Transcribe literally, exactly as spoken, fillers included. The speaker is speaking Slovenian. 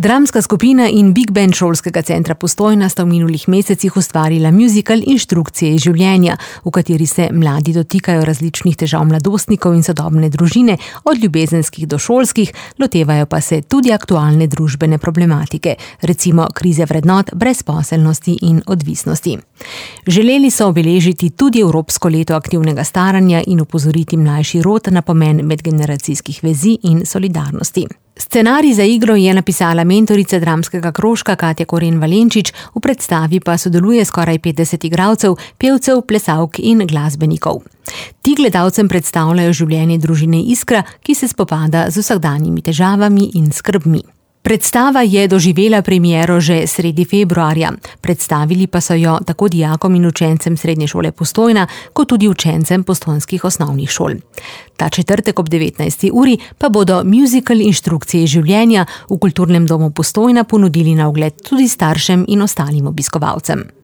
Dramska skupina in Big Band Šolskega centra Postojna sta v minulih mesecih ustvarila musical Inštrukcije iz življenja, v kateri se mladi dotikajo različnih težav mladostnikov in sodobne družine, od ljubezenskih do šolskih, lotevajo pa se tudi aktualne družbene problematike, recimo krize vrednot, brezposelnosti in odvisnosti. Želeli so obeležiti tudi Evropsko leto aktivnega staranja in opozoriti mlajši rod na pomen medgeneracijskih vezi in solidarnosti. Scenarij za igro je napisala mentorica dramskega krožka Katja Koren Valenčič, v predstavi pa sodeluje skoraj petdeset igralcev, pevcev, plesalk in glasbenikov. Ti gledalcem predstavljajo življenje družine Iskra, ki se spopada z vsakdanjimi težavami in skrbmi. Predstava je doživela premiero že sredi februarja, predstavili pa so jo tako dijakom in učencem Srednje šole Postojna, kot tudi učencem postojnskih osnovnih šol. Ta četrtek ob devetnajsti uri pa bodo musical Inštrukcije življenja v Kulturnem domu Postojna ponudili na ogled tudi staršem in ostalim obiskovalcem.